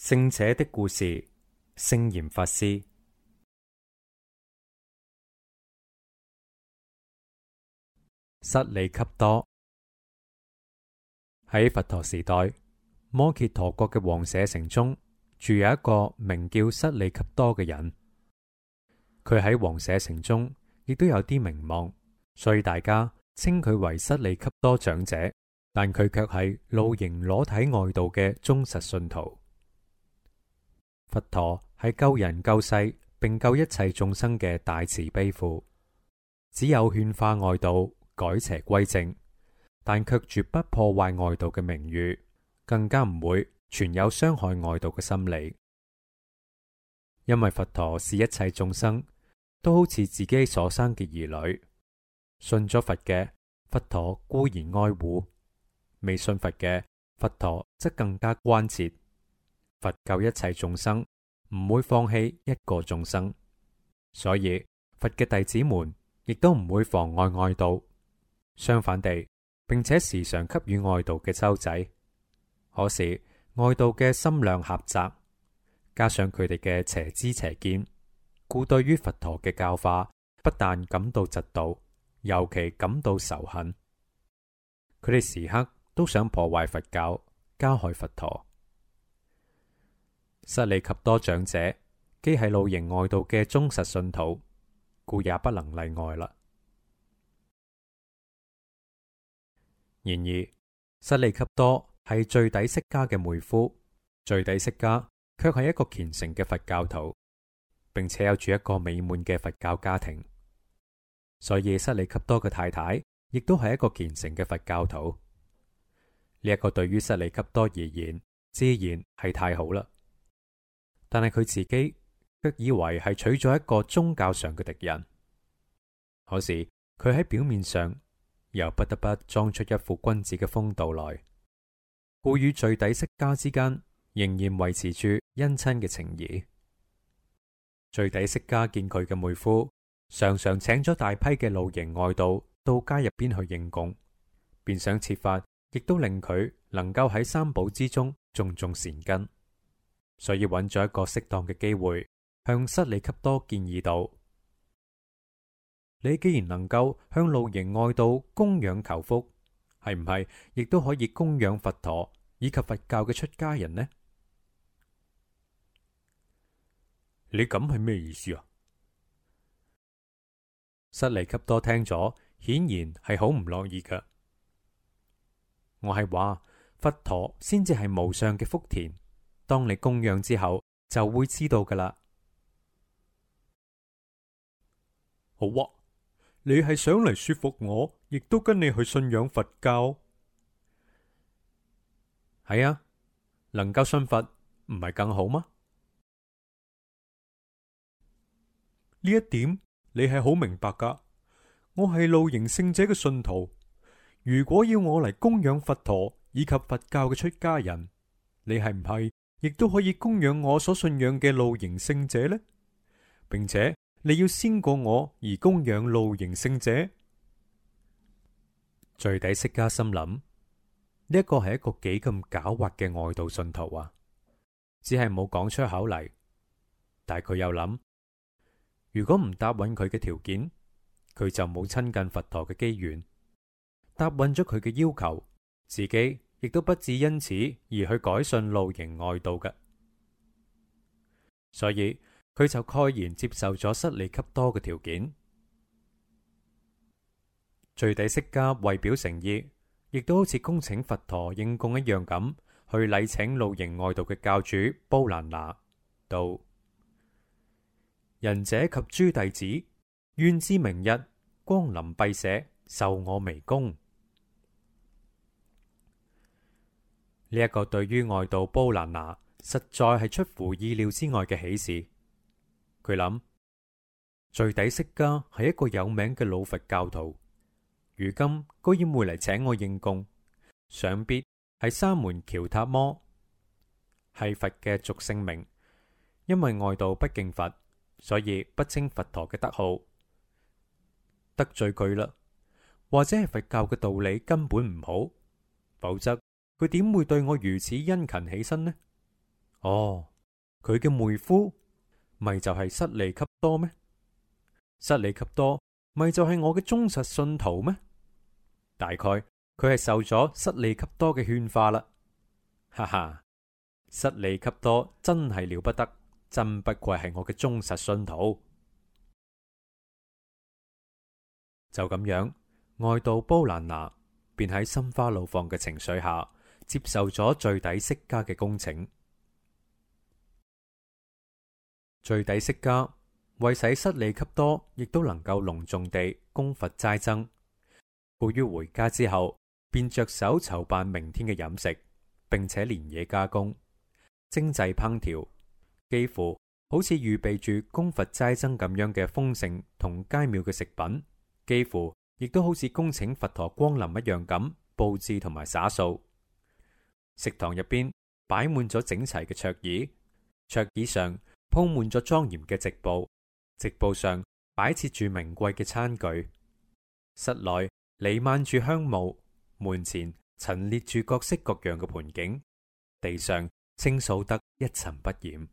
聖者的故事，聖嚴法師。室利笈多。喺佛陀時代，摩羯陀國嘅王舍城中住有一個名叫室利笈多嘅人。佢喺王舍城中亦都有啲名望，所以大家稱佢為室利笈多長者。但佢卻係露營裸體外道嘅忠實信徒。佛陀係救人救世並救一切眾生嘅大慈悲父，只有勸化外道改邪歸正，但卻絕不破壞外道嘅名譽，更加唔會存有傷害外道嘅心理。因為佛陀視一切眾生都好似自己所生嘅兒女，信咗佛嘅佛陀固然愛護，未信佛嘅佛陀則更加關切。佛救一切眾生，唔會放棄一個眾生，所以佛嘅弟子們亦都唔會妨礙外道，相反地，並且時常給予外道嘅周濟。可是外道嘅心量狹窄，加上佢哋嘅邪知邪見，故對於佛陀嘅教化不但感到嫉妒，尤其感到仇恨。佢哋時刻都想破壞佛教，加害佛陀。室利笈多長者既係露營外道嘅忠實信徒，故也不能例外啦。然而，室利笈多係最底釋迦嘅妹夫，最底釋迦卻係一個虔誠嘅佛教徒，並且有住一個美滿嘅佛教家庭，所以室利笈多嘅太太亦都係一個虔誠嘅佛教徒。呢一個對於室利笈多而言，自然係太好啦。但係佢自己卻以為係娶咗一個宗教上嘅敵人。可是佢喺表面上又不得不裝出一副君子嘅風度來，故與最底釋迦之間仍然維持住姻親嘅情誼。最底釋迦見佢嘅妹夫常常請咗大批嘅露營外道到街入邊去應供，便想設法亦都令佢能夠喺三寶之中種種善根。所以揾咗一個適當嘅機會，向室利笈多建議道：你既然能夠向露營外道供養求福，係唔係亦都可以供養佛陀以及佛教嘅出家人呢？你咁係咩意思啊？室利笈多聽咗，顯然係好唔樂意噶。我係話佛陀先至係無上嘅福田。當你供養之後，就會知道噶啦。好啊，你係想嚟說服我，亦都跟你去信仰佛教？係啊，能夠信佛唔係更好嗎？呢一點你係好明白噶。我係露營聖者嘅信徒，如果要我嚟供養佛陀以及佛教嘅出家人，你係唔係亦都可以供養我所信仰嘅露營聖者呢？並且你要先過我而供養露營聖者。最底釋迦心諗，呢一個係一個幾咁狡猾嘅外道信徒啊！只係冇講出口嚟，但係佢又諗，如果唔答應佢嘅條件，佢就冇親近佛陀嘅機緣。答應咗佢嘅要求，自己亦都不至因此而去改信露營外道嘅，所以佢就蓋然接受咗室利笈多嘅條件。最底釋迦為表誠意，亦都好似恭請佛陀應供一樣咁，去禮請露營外道嘅教主布蘭那道：仁者及諸弟子，願知明日光臨敝舍，受我微供。呢一個對於外道布蘭那實在係出乎意料之外嘅喜事。佢諗，最底釋迦係一個有名嘅老佛教徒，如今居然會嚟請我應供，想必係沙門喬塔摩，係佛嘅俗姓名。因為外道不敬佛，所以不稱佛陀嘅德號，得罪佢啦。或者係佛教嘅道理根本唔好，否則佢點會對我如此殷勤起身呢？哦，佢嘅妹夫咪就係失利笈多咩？失利笈多咪就係我嘅忠實信徒咩？大概佢係受咗失利笈多嘅勸化啦。哈哈，失利笈多真係了不得，真不愧係我嘅忠實信徒。就咁樣，外道波蘭拿便喺心花怒放嘅情緒下，接受咗最底釋迦嘅恭請。最底釋迦為使失利笈多亦都能夠隆重地供佛齋僧，故於回家之後，便着手籌辦明天嘅飲食，並且連夜加工、精製烹調，幾乎好似預備住供佛齋僧咁樣嘅豐盛同佳妙嘅食品。幾乎亦都好似恭請佛陀光臨一樣咁佈置同埋灑掃。食堂入邊擺滿咗整齊嘅桌椅，桌椅上鋪滿咗莊嚴嘅席布，席布上擺設住名貴嘅餐具。室內彌漫住香霧，門前陳列住各式各樣嘅盤景，地上清掃得一塵不染。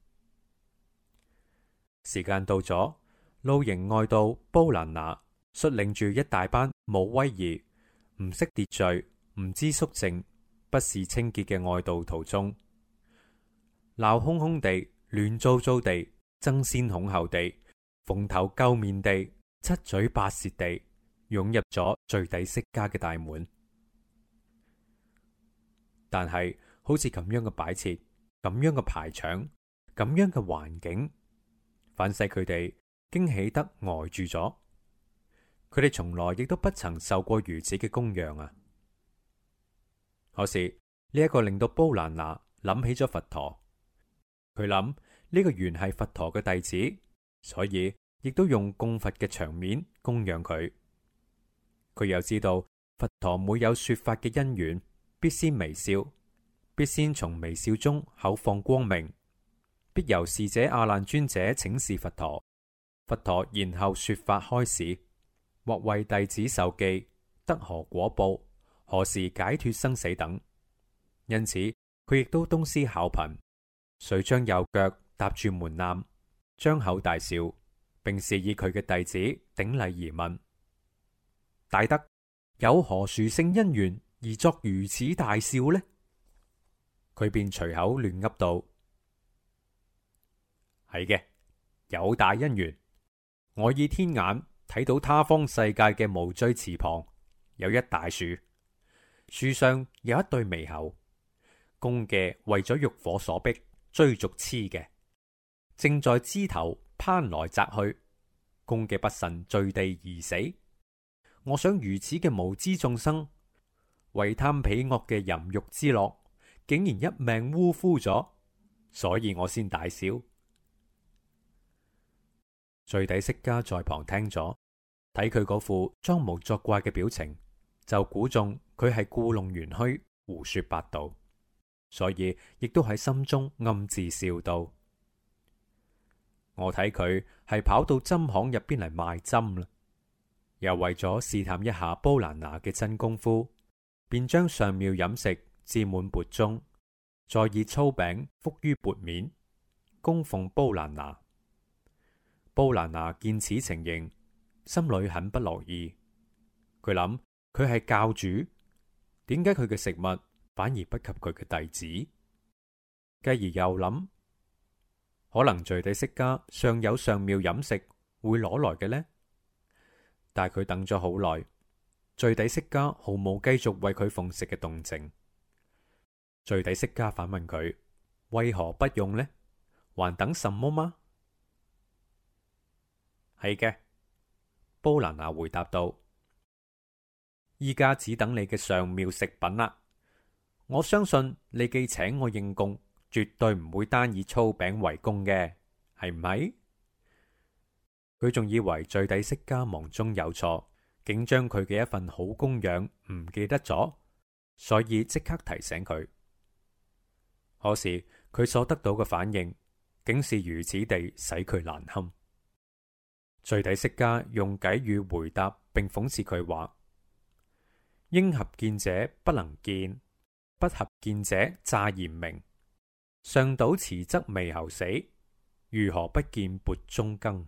時間到咗，露營外道波蘭拿率領住一大班冇威儀、唔識秩序、唔知肅靜、不事清潔嘅外道徒眾，鬧哄哄地、亂糟糟地、爭先恐後地、蓬頭垢面地、七嘴八舌地湧入咗最底釋迦嘅大門。但係好似咁樣嘅擺設、咁樣嘅排場、咁樣嘅環境，反使佢哋驚喜得呆住咗。佢哋從來亦都不曾受過如此嘅供養啊！可是呢一個令到波蘭拿諗起咗佛陀，佢諗呢個原係佛陀嘅弟子，所以亦都用供佛嘅場面供養佢。佢又知道佛陀每有說法嘅因緣，必先微笑，必先從微笑中口放光明，必由侍者阿難尊者請示佛陀，佛陀然後說法開示，或為弟子授記，得何果報，何時解脫生死等。因此佢亦都東施效顰，遂將右腳踏住門檻，張口大笑，並示意佢嘅弟子頂禮而問：大德有何殊勝因緣而作如此大笑呢？佢便隨口亂噏道：係嘅，有大因緣。我以天眼睇到他方世界嘅無罪池旁有一大樹，樹上有一對獼猴，公嘅為咗欲火所逼追逐雌嘅，正在枝頭攀來摘去，公嘅不慎墜地而死。我想如此嘅無知眾生，為貪彼惡嘅淫欲之樂，竟然一命嗚呼咗，所以我先大笑。最底釋迦在旁聽咗，睇佢嗰副裝模作怪嘅表情，就估中佢係故弄玄虛、胡說八道，所以亦都喺心中暗自笑道：我睇佢係跑到針行入邊嚟賣針啦。又為咗試探一下波蘭拿嘅真功夫，便將上妙飲食置滿缽中，再以粗餅覆於缽面，供奉波蘭拿。波蘭拿見此情形，心裏很不樂意。佢諗佢係教主，點解佢嘅食物反而不及佢嘅弟子？繼而又諗，可能最底釋迦尚有上妙飲食會攞來嘅呢？但係佢等咗好耐，最底釋迦毫無繼續為佢奉食嘅動靜。最底釋迦反問佢：為何不用呢？還等什麼嗎？係嘅，波蘭拿回答道：依家只等你嘅上妙食品啦。我相信你既請我應供，絕對唔會單以粗餅為供嘅，係唔係？佢仲以為最底釋迦忙中有錯，竟將佢嘅一份好供養唔記得咗，所以即刻提醒佢。可是佢所得到嘅反應，竟是如此地使佢難堪。最底釋迦用偈語回答，並諷刺佢話：應合見者不能見，不合見者詐言明。上倒遲則微侯死，如何不見缽中羹？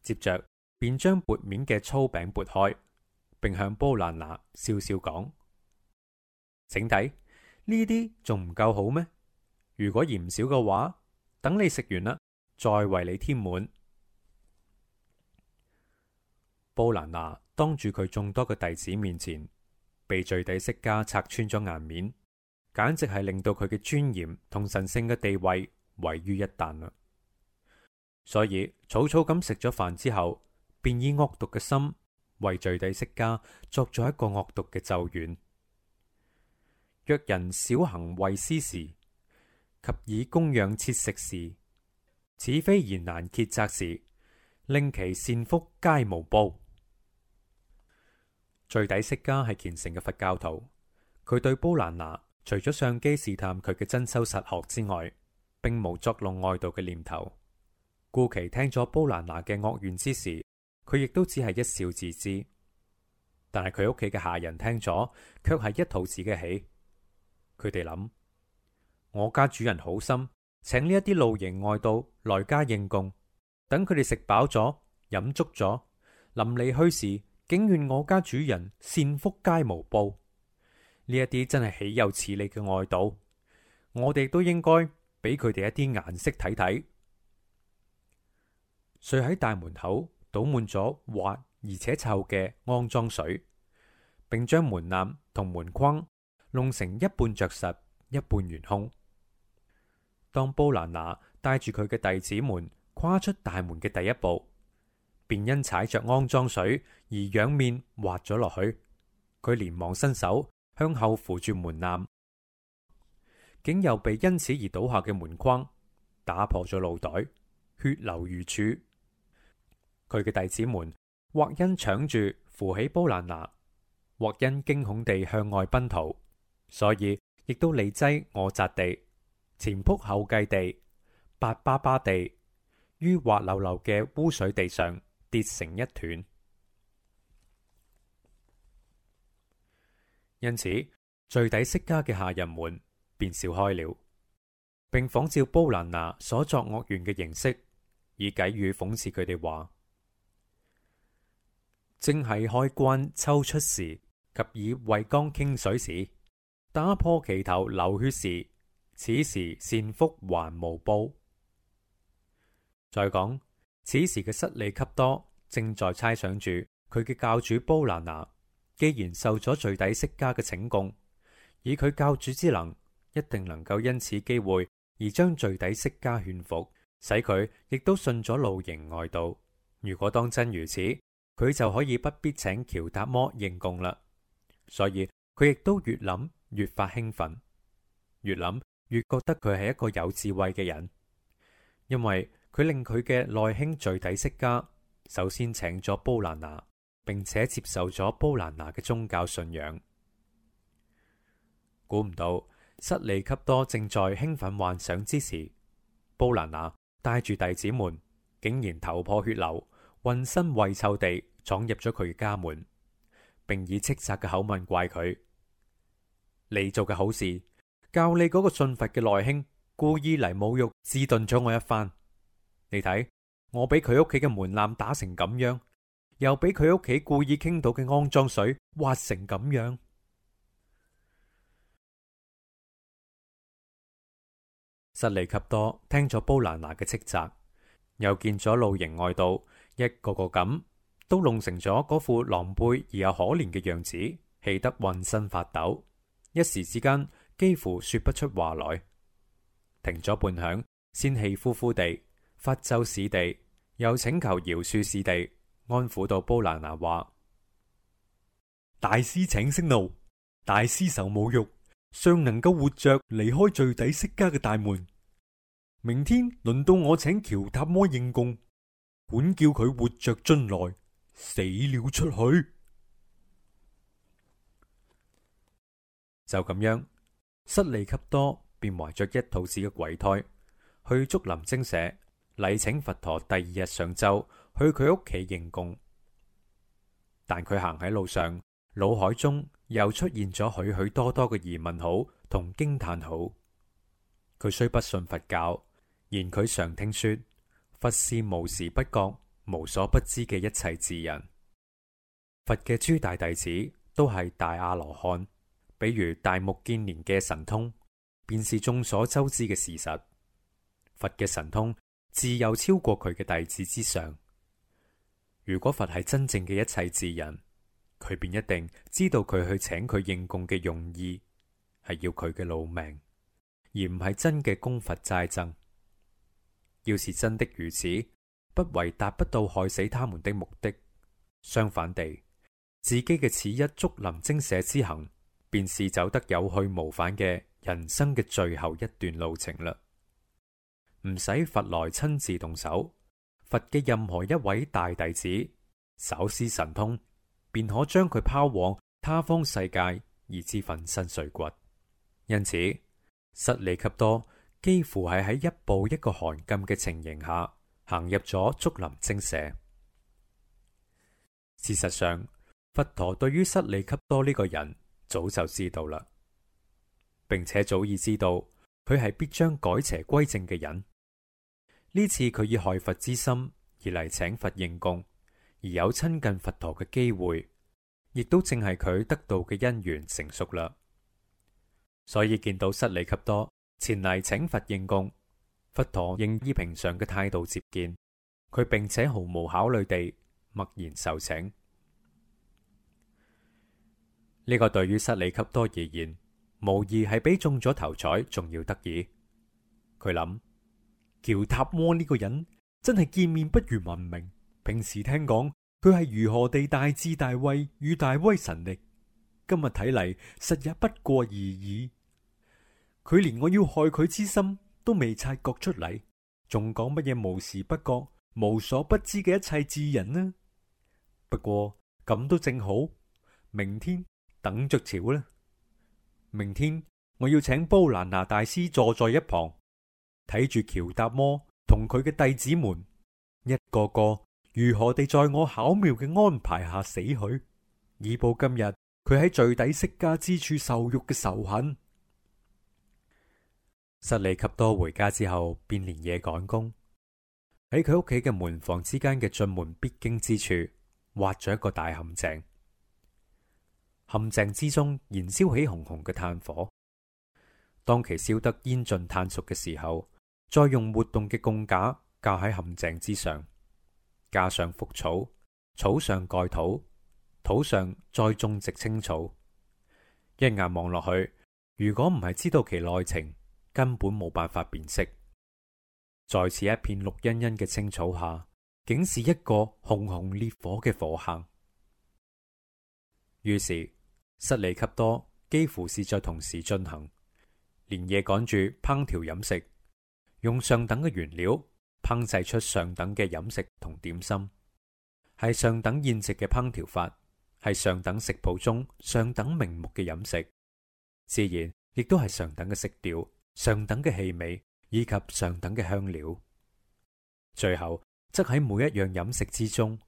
接着便將缽面嘅粗餅撥開，並向煲蘭拿笑笑講：請睇，呢啲仲唔夠好咩？如果嫌少嘅話，等你食完啦，再為你添滿。煲蘭拿當住佢眾多嘅弟子面前，被罪底釋迦拆穿咗顏面，簡直係令到佢嘅尊嚴同神聖嘅地位毀於一旦啦。所以草草咁食咗飯之後，便以惡毒嘅心為罪底釋迦作咗一個惡毒嘅咒願：若人少行惠施時，及以供養切食時，此非言難竭責時，令其善福皆無報。罪底釋迦係虔誠嘅佛教徒，佢對煲蘭拿除咗相機試探佢嘅真修實學之外，並無作弄外道嘅念頭。故其聽咗煲蘭拿嘅惡願之時，佢亦都只係一笑自知。但係佢屋企嘅下人聽咗，卻係一肚子嘅氣。佢哋諗：我家主人好心，請呢一啲露營外道來家應供，等佢哋食飽咗、飲足咗，臨離去時，竟願我家主人善福皆無報。呢一啲真係豈有此理嘅外道，我哋都應該俾佢哋一啲顏色睇睇。遂喺大門口倒滿咗滑而且臭嘅骯髒水，並將門檻同門框弄成一半着實，一半懸空。當煲蘭拿帶住佢嘅弟子們跨出大門嘅第一步，便因踩着骯髒水而仰面滑咗落去。佢連忙伸手向後扶住門檻，竟又被因此而倒下嘅門框打破咗腦袋，血流如注。佢嘅弟子們或因搶住扶起煲蘭拿，或因驚恐地向外奔逃，所以亦都你擠我擲地，前仆後繼地，八巴巴地，於滑溜溜嘅污水地上跌成一團。因此，罪底釋迦嘅下人們便笑開了，並仿照煲蘭拿所作惡願嘅形式，以偈語諷刺佢哋話：正係開關抽出時，及以慧缸傾水時，打破其頭流血時，此時善福還無報。再講，此時嘅失利笈多正在猜想住佢嘅教主煲蘭拿，既然受咗罪底釋迦嘅請供，以佢教主之能，一定能夠因此機會而將罪底釋迦勸服，使佢亦都信咗露營外道。如果當真如此，佢就可以不必請喬達摩應供啦。所以佢亦都越諗越發興奮，越諗越覺得佢係一個有智慧嘅人，因為佢令佢嘅內兄罪底釋迦首先請咗煲蘭拿，並且接受咗煲蘭拿嘅宗教信仰。估唔到失利笈多正在興奮幻想之時，煲蘭拿帶住弟子們竟然頭破血流、渾身穢臭地闖入咗佢嘅家門，並以斥責嘅口吻怪佢：你做嘅好事，教你嗰個信佛嘅內兄故意嚟侮辱自頓咗我一番。你睇，我俾佢屋企嘅門檻打成咁樣，又俾佢屋企故意傾倒嘅骯髒水滑成咁樣。失利笈多聽咗煲蘭拿嘅斥責，又見咗露營外道一個個咁都弄成咗嗰副狼狽而又可憐嘅樣子，氣得渾身發抖，一時之間幾乎說不出話來。停咗半晌，先氣呼呼地發咒使地，又請求饒恕使地，安撫到煲蘭拿話：大師請息怒，大師受侮辱，尚能夠活着離開罪底釋迦嘅大門。明天輪到我請喬塔摩應供，管叫佢活着進來，死了出去。就咁樣，失利笈多便懷着一肚子嘅鬼胎，去竹林精舍禮請佛陀第二日上晝去佢屋企應供。但佢行喺路上，腦海中又出現咗許許多多嘅疑問號同驚嘆號。佢雖不信佛教，然佢常聽說佛是無時不覺、無所不知嘅一切智人。佛嘅諸大弟子都係大阿羅漢，比如大目犍連嘅神通，便是眾所周知嘅事實。佛嘅神通自有超過佢嘅弟子之上。如果佛係真正嘅一切智人，佢便一定知道佢去請佢應供嘅用意係要佢嘅老命，而唔係真嘅供佛齋僧。要是真的如此，不為達不到害死他們的目的，相反地，自己嘅此一竹林精舍之行，便是走得有去無返嘅人生嘅最後一段路程啦。唔使佛來親自動手，佛嘅任何一位大弟子稍施神通，便可將佢拋往他方世界，而致粉身碎骨。因此，室利笈多幾乎係喺一步一個寒禁嘅情形下行入咗竹林精舍。事實上，佛陀對於室利笈多呢個人早就知道啦，並且早已知道佢係必將改邪歸正嘅人。呢次佢以害佛之心而嚟請佛應供，而有親近佛陀嘅機會，亦都正係佢得到嘅因緣成熟啦。所以見到室利笈多前嚟請佛應供，佛陀應以平常嘅態度接見佢，並且毫無考慮地默然受請。呢個對於室利笈多而言，無疑係比中咗頭彩仲要得意。佢諗，喬塔摩呢個人真係見面不如聞名，平時聽講佢係如何地大智大慧與大威神力，今日睇嚟實也不過而已。佢連我要害佢之心都未察覺出嚟，仲講乜嘢無時不覺、無所不知嘅一切智人呢？不過咁都正好，明天等着瞧啦。明天我要請波蘭拿大師坐在一旁，睇住喬達摩同佢嘅弟子們一個個如何地在我巧妙嘅安排下死去，以報今日佢喺罪底釋迦之處受辱嘅仇恨。室利笈多回家之後，便連夜趕工，喺佢屋企嘅門房之間嘅進門必經之處挖咗一個大陷阱。陷阱之中燃燒起紅紅嘅炭火，當其燒得煙盡炭熟嘅時候，再用活動嘅供架架喺陷阱之上，加上覆草，草上蓋土，土上再種植青草。一眼望落去，如果唔係知道其內情，根本冇辦法辨識。在此一片綠茵茵嘅青草下，竟是一個熊熊烈火嘅火坑。於是室利笈多幾乎是在同時進行，連夜趕住烹調飲食，用上等嘅原料烹製出上等嘅飲食同點心，係上等宴席嘅烹調法，係上等食譜中上等名目嘅飲食，自然亦都係上等嘅色調、上等嘅氣味以及上等嘅香料。最後則喺每一樣飲食之中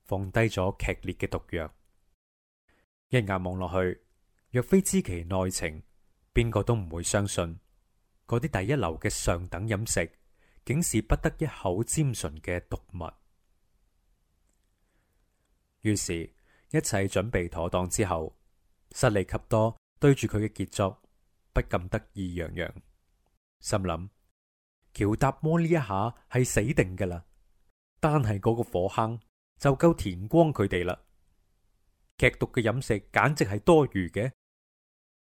放低咗劇烈嘅毒藥。一眼望落去，若非知其內情，邊個都唔會相信嗰啲第一流嘅上等飲食竟是不得一口沾唇嘅毒物。於是，一切準備妥當之後，室利笈多對住佢嘅傑作不禁得意洋洋，心諗喬達摩呢一下係死定噶啦，單係嗰個火坑就夠填光佢哋啦。劇毒嘅飲食簡直係多餘嘅，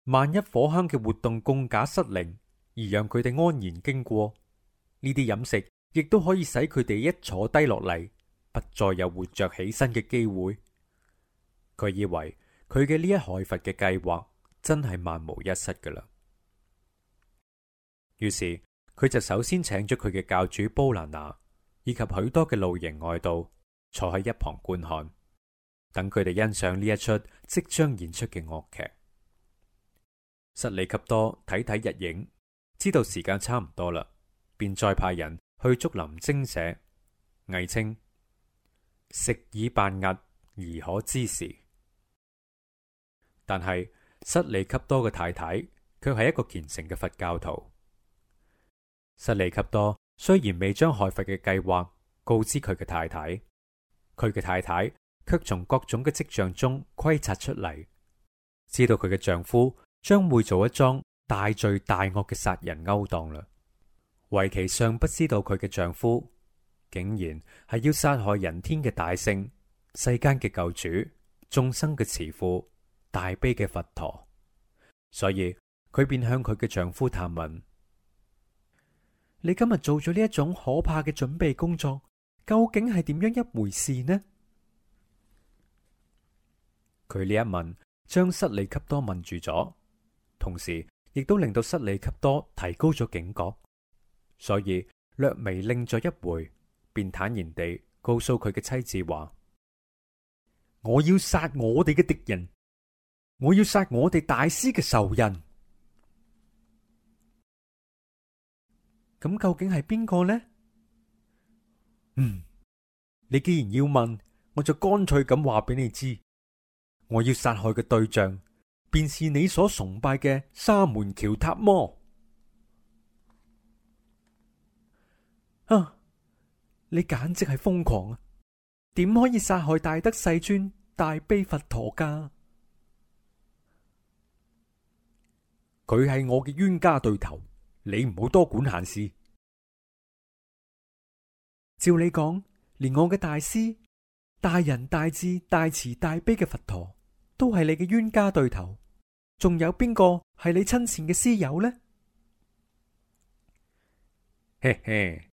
萬一火坑嘅活動供架失靈，而讓佢哋安然經過，呢啲飲食亦都可以使佢哋一坐低落嚟，不再有活着起身嘅機會。佢以為佢嘅呢一害佛嘅計劃真係萬無一失噶啦。於是佢就首先請咗佢嘅教主波蘭拿以及許多嘅露營外道坐喺一旁觀看，等佢哋欣賞呢一出即將演出嘅樂劇。室利笈多睇睇日影，知道時間差唔多啦，便再派人去竹林精舍，偽稱食已半日而可知時。但係失利給多嘅太太卻係一個虔誠嘅佛教徒。失利給多雖然未將害佛嘅計劃告知佢嘅太太，佢嘅太太卻從各種嘅跡象中窺察出嚟，知道佢嘅丈夫將會做一樁大罪大惡嘅殺人勾當啦。唯其尚不知道佢嘅丈夫竟然係要殺害人天嘅大聖、世間嘅救主、眾生嘅慈父、大悲嘅佛陀，所以佢便向佢嘅丈夫探問：你今日做咗呢一種可怕嘅準備工作，究竟係點樣一回事呢？佢呢一問，將失利給多問住咗，同時亦都令到失利給多提高咗警覺，所以略微擰咗一回，便坦然地告訴佢嘅妻子話：我要殺我哋嘅敵人，我要殺我哋大師嘅仇人。咁究竟係邊個呢？你既然要問，我就乾脆咁話俾你知，我要殺害嘅對象，便是你所崇拜嘅沙門喬塔摩。你簡直係瘋狂啊！點可以殺害大德世尊、大悲佛陀噶？佢係我嘅冤家對頭，你唔好多管閒事。照你講，連我嘅大師、大仁大智、大慈大悲嘅佛陀都係你嘅冤家對頭，仲有邊個係你親善嘅師友呢？嘿嘿，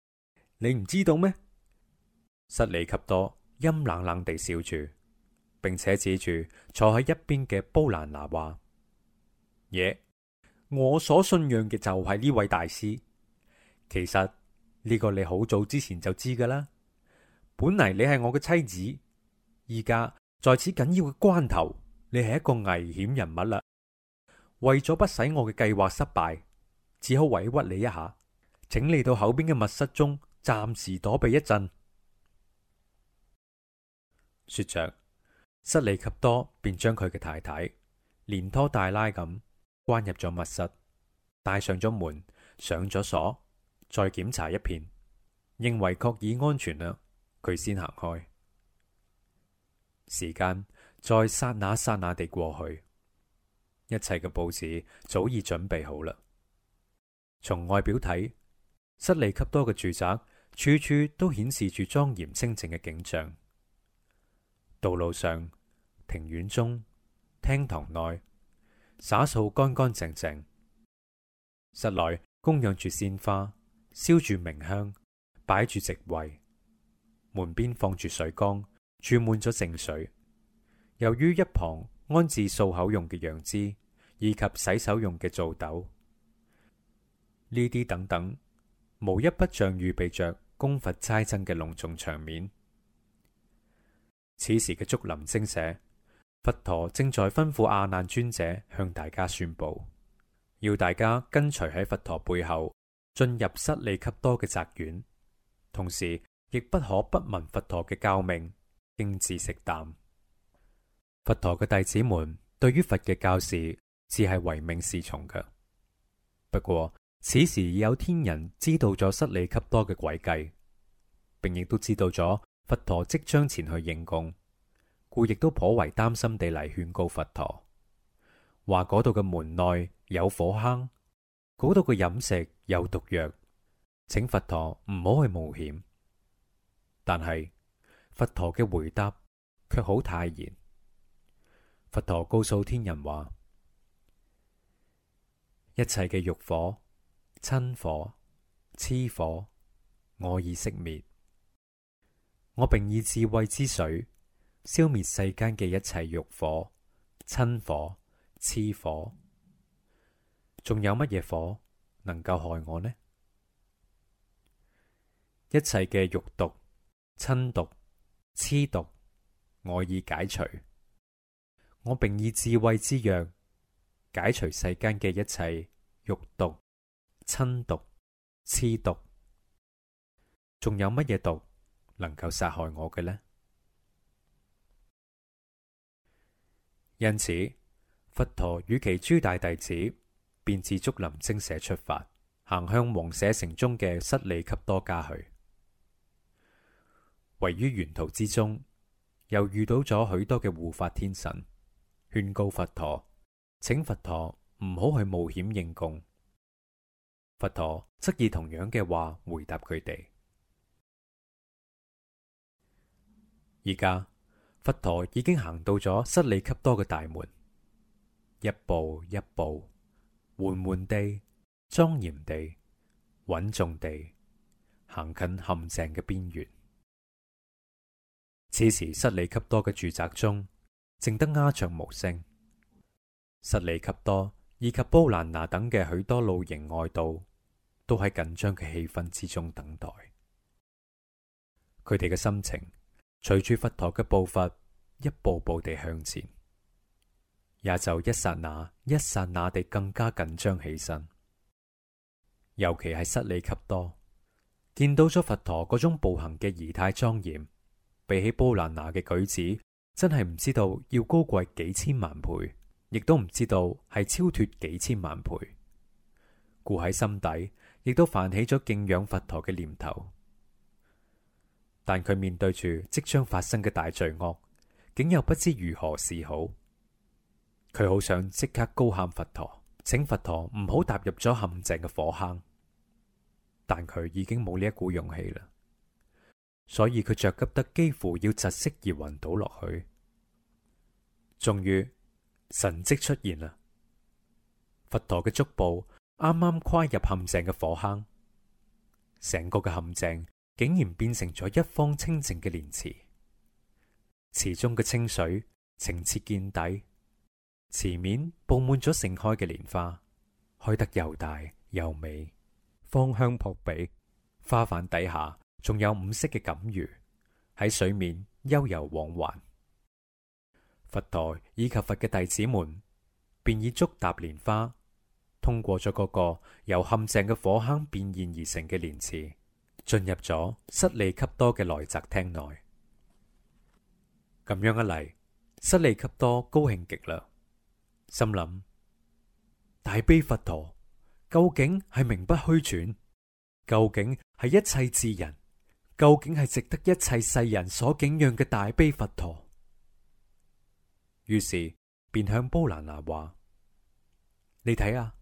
你唔知道咩？失利給多陰冷冷地笑住，並且指住坐喺一邊嘅煲蘭娜話：耶，我所信仰嘅就係呢位大師。其實呢個你好早之前就知噶啦。本嚟你係我嘅妻子，依家在此緊要嘅關頭，你係一個危險人物啦。為咗不使我嘅計劃失敗，只好委屈你一下，請你到後邊嘅密室中暫時躲避一陣。說着，失利給多便將佢嘅太太連拖帶拉咁關入咗密室，帶上咗門，上咗鎖，再檢查一遍，認為確已安全啦，佢先行開。時間在剎那剎那地過去，一切嘅佈置早已準備好啦。從外表睇，失利給多嘅住宅處處都顯示住莊嚴清靜嘅景象。道路上、庭院中、廳堂內，灑掃乾乾淨淨。室內供養住鮮花，燒住明香，擺住席位。門邊放住水缸，注滿咗淨水。由於一旁安置漱口用嘅楊枝，以及洗手用嘅皂斗，呢啲等等，無一不像預備着供佛齋僧嘅隆重場面。此時嘅竹林精舍，佛陀正在吩咐阿難尊者向大家宣布，要大家跟隨喺佛陀背後進入失利給多嘅宅院，同時亦不可不聞佛陀嘅教命，經自食啖。佛陀嘅弟子們對於佛嘅教示只係唯命是從嘅。不過此時已有天人知道咗失利給多嘅詭計，並亦都知道咗佛陀即將前去應供，故亦都頗為擔心地嚟勸告佛陀，話嗰度嘅門內有火坑，嗰度嘅飲食有毒藥，請佛陀唔好去冒險。但係佛陀嘅回答卻好泰然。佛陀告訴天人話：一切嘅欲火、瞋火、痴火，我已熄滅。我並以智慧之水消滅世間嘅一切欲火、瞋火、痴火。仲有乜嘢火能夠害我呢？一切嘅欲毒、瞋毒、痴毒，我已解除。我並以智慧之藥解除世間嘅一切欲毒、瞋毒、痴毒。仲有乜嘢毒能夠殺害我嘅呢？因此，佛陀與其諸大弟子便自竹林精舍出發，行向王舍城中嘅失利笈多家去。位於沿途之中，又遇到咗許多嘅護法天神，勸告佛陀，請佛陀唔好去冒險應供。佛陀則以同樣嘅話回答佢哋。而家佛陀已經行到咗失利笈多嘅大門，一步一步，緩緩地、莊嚴地、穩重地行近陷阱嘅邊緣。此時失利笈多嘅住宅中靜得鴉雀無聲，失利笈多以及波蘭那等嘅許多露營外道都喺緊張嘅氣氛之中等待。佢哋嘅心情隨住佛陀嘅步伐一步步地向前，也就一剎那一剎那地更加緊張起身。尤其係失利笈多見到咗佛陀嗰種步行嘅儀態莊嚴，比起波蘭那嘅舉止，真係唔知道要高貴幾千萬倍，亦都唔知道係超脫幾千萬倍。故喺心底亦都泛起咗敬仰佛陀嘅念頭。但佢面對住即將發生嘅大罪惡，竟又不知如何是好。佢好想即刻高喊佛陀，請佛陀唔好踏入咗陷阱嘅火坑，但佢已經冇呢一股勇氣啦。所以佢着急得幾乎要窒息而暈倒落去。終於神蹟出現啦！佛陀嘅足部啱啱跨入陷阱嘅火坑，成個嘅陷阱竟然變成咗一方清淨嘅蓮池，池中嘅清水清澈見底，池面布滿咗盛開嘅蓮花，開得又大又美，芳香撲鼻。花瓣底下仲有五色嘅錦魚喺水面悠游往還。佛陀以及佛嘅弟子們便以足踏蓮花，通過咗嗰個由陷阱嘅火坑變現而成嘅蓮池，進入咗失利笈多嘅內宅廳內。咁樣一嚟，失利笈多高興極啦，心諗大悲佛陀究竟係名不虛傳，究竟係一切智人，究竟係值得一切世人所敬仰嘅大悲佛陀。於是便向波蘭那話：你睇啊，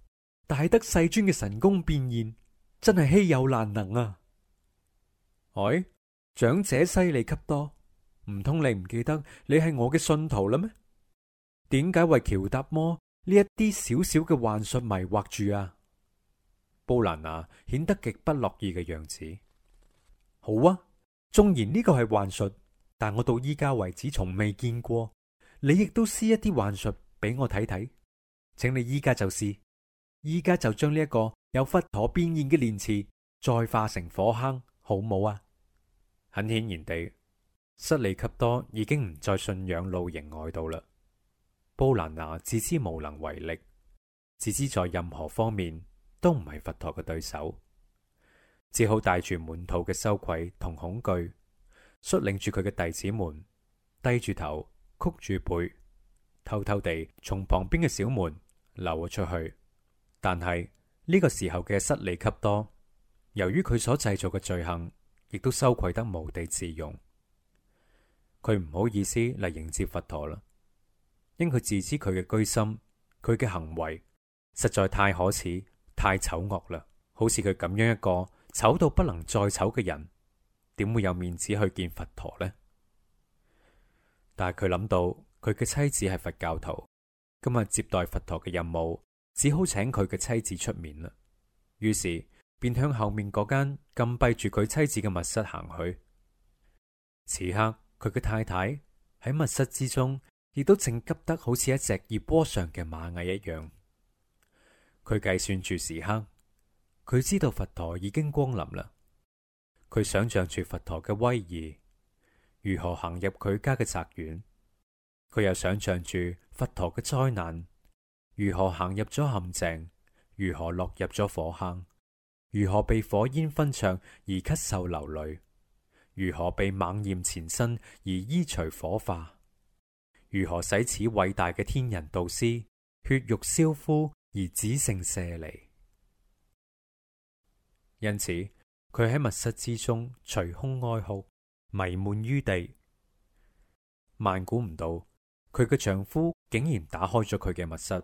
大德世尊嘅神功變現真係稀有難能啊！哎，長者失利笈多，唔通你唔記得你係我嘅信徒啦咩？點解為喬達摩呢一啲小小嘅幻術迷惑住啊？波蘭那顯得極不樂意嘅樣子。好啊，縱然呢個係幻術，但我到依家為止從未見過。你亦都施一啲幻術俾我睇睇，請你依家就試，依家就將呢一個由佛陀變現嘅蓮池再化成火坑，好冇啊？很顯然地，失利笈多已經唔再信仰露營外道啦。波蘭那自知無能為力，自知在任何方面都唔係佛陀嘅對手，只好帶住滿肚嘅羞愧同恐懼，率領住佢嘅弟子們低住頭，曲住背，偷偷地從旁邊嘅小門溜咗出去。但係呢個時候嘅失利笈多，由於佢所製造嘅罪行，亦都羞愧得無地自容。佢唔好意思嚟迎接佛陀啦，因佢自知佢嘅居心，佢嘅行為實在太可恥、太醜惡啦。好似佢咁樣一個醜到不能再醜嘅人，點會有面子去見佛陀呢？但係佢諗到佢嘅妻子係佛教徒，今日接待佛陀嘅任務只好請佢嘅妻子出面啦。於是便向後面嗰間禁閉住佢妻子嘅密室行去。此刻佢嘅太太喺密室之中，亦都正急得好似一隻熱鍋上嘅螞蟻一樣。佢計算住時刻，佢知道佛陀已經光臨啦。佢想象住佛陀嘅威儀，如何行入佢家嘅宅院。佢又想象住佛陀嘅災難，如何行入咗陷阱，如何落入咗火坑，如何被火焰熏灼而咳嗽流淚，如何被猛焰纏身而衣除火化，如何使此偉大嘅天人導師血肉燒枯而只剩舍利。因此，佢喺密室之中捶胸哀哭，迷悶於地。萬估唔到，佢嘅丈夫竟然打開咗佢嘅密室，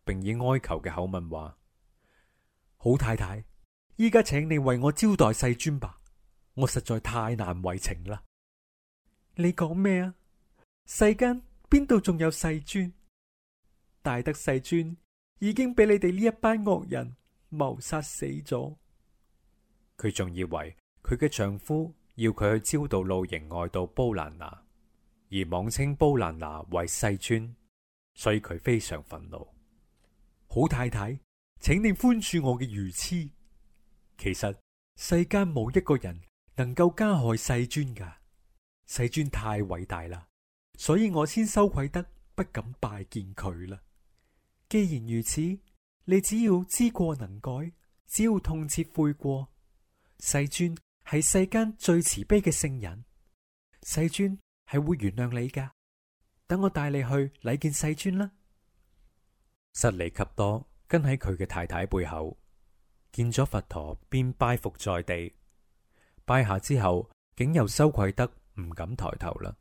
並以哀求嘅口吻話：好太太，依家請你為我招待世尊吧，我實在太難為情啦。你講咩啊？世間邊度仲有世尊？大德世尊已經俾你哋呢一班惡人謀殺死咗。佢仲以為佢嘅丈夫要佢去超度露營外道煲蘭娜，而妄稱煲蘭娜為世尊，所以佢非常憤怒。好太太，請你寬恕我嘅愚癡。其實世間冇一個人能夠加害世尊噶，世尊太偉大啦，所以我先羞愧得不敢拜見佢啦。既然如此，你只要知過能改，只要痛切悔過，世尊係世間最慈悲嘅聖人，世尊係會原諒你噶。等我帶你去禮見世尊啦。室利笈多跟喺佢嘅太太背後，見咗佛陀便拜伏在地，拜下之後竟又羞愧得唔敢抬頭啦。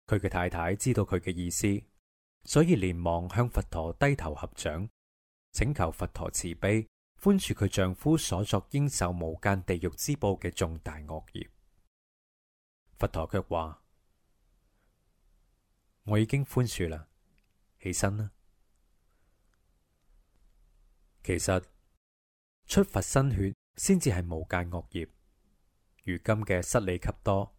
佢嘅太太知道佢嘅意思，所以連忙向佛陀低頭合掌，請求佛陀慈悲寬恕佢丈夫所作應受無間地獄之報嘅重大惡業。佛陀卻話：我已經寬恕啦，起身啦。其實出佛身血先至係無間惡業。如今嘅室利笈多，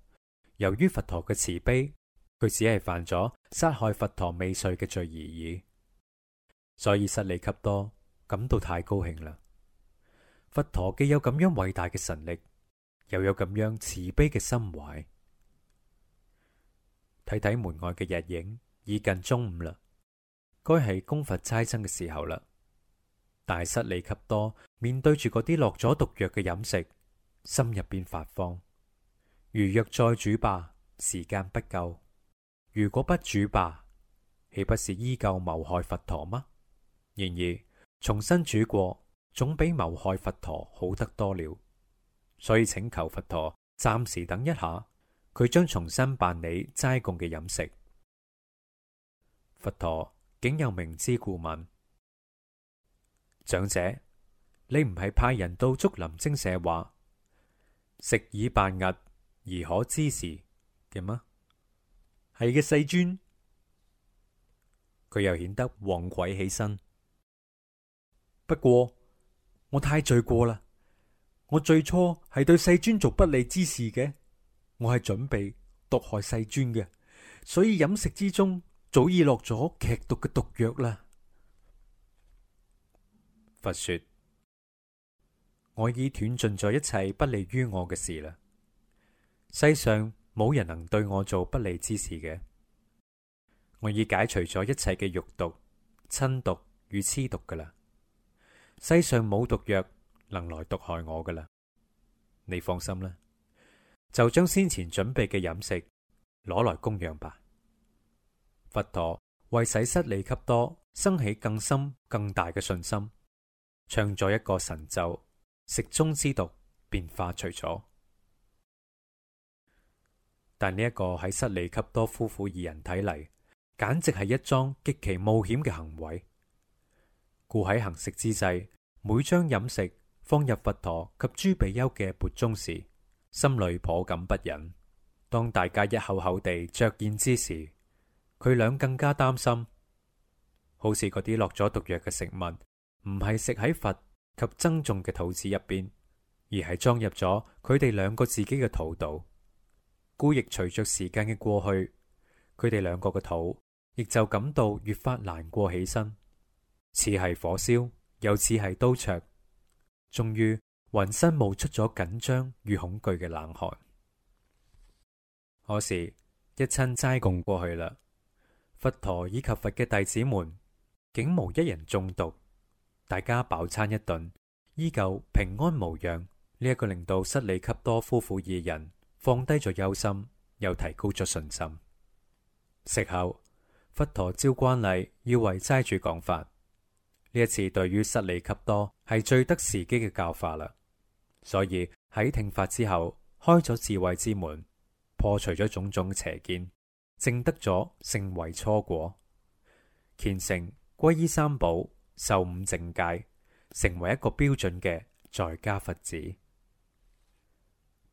由於佛陀嘅慈悲，佢只係犯咗殺害佛陀未遂嘅罪而已，所以室利笈多感到太高興啦。佛陀既有咁樣偉大嘅神力，又有咁樣慈悲嘅心懷。睇睇門外嘅日影，已近中午啦，該係供佛齋僧嘅時候啦。但係室利笈多面對住嗰啲落咗毒藥嘅飲食，心入邊發慌。如若再煮吧，時間不夠；如果不煮吧，豈不是依舊謀害佛陀嗎？然而重新煮過，總比謀害佛陀好得多了。所以請求佛陀暫時等一下，佢將重新辦理齋供嘅飲食。佛陀竟有明知故問：長者，你唔係派人到竹林精舍話食已辦訖而可知時嘅嗎？係嘅，世尊。佢又顯得惶愧起身。不過我太罪過啦，我最初係對世尊做不利之事嘅，我係準備毒害世尊嘅，所以飲食之中早已落咗劇毒嘅毒藥啦。佛說：我已斷盡咗一切不利於我嘅事啦。世上冇人能對我做不利之事嘅。我已解除咗一切嘅欲毒、嗔毒與癡毒噶啦。世上冇毒藥能來毒害我噶啦。你放心啦，就將先前準備嘅飲食攞來供養吧。佛陀為使室利笈多生起更深更大嘅信心，唱咗一個神咒，食中之毒便化除咗。但呢一個喺室利笈多夫婦二人睇嚟，簡直係一樁極其冒險嘅行為。故喺行食之際，每將飲食放入佛陀及諸比丘嘅缽中時，心裏頗感不忍。當大家一口口地嚼咽之時，佢倆更加擔心，好似嗰啲落咗毒藥嘅食物，唔係食喺佛及僧眾嘅肚子入邊，而係裝入咗佢哋兩個自己嘅肚度。故亦隨着時間嘅過去，佢哋兩個嘅肚亦就感到越發難過起身，似係火燒，又似係刀灼，終於渾身冒出咗緊張與恐懼嘅冷汗。可是，一親齋供過去啦，佛陀以及佛嘅弟子們竟無一人中毒，大家飽餐一頓，依舊平安無恙。呢一個令到室利笈多夫婦二人放低咗憂心，又提高咗信心。食後，佛陀照慣例要為齋主講法。呢一次對於失利笈多係最得時機嘅教化啦，所以喺聽法之後開咗智慧之門，破除咗種種邪見，證得咗聖位初果，虔誠皈依三寶，受五淨戒，成為一個標準嘅在家佛子。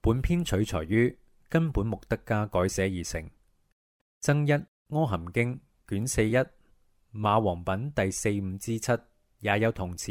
本篇取材於根本目德家改寫而成，增一阿含經卷41馬王品第45之7也有同詞。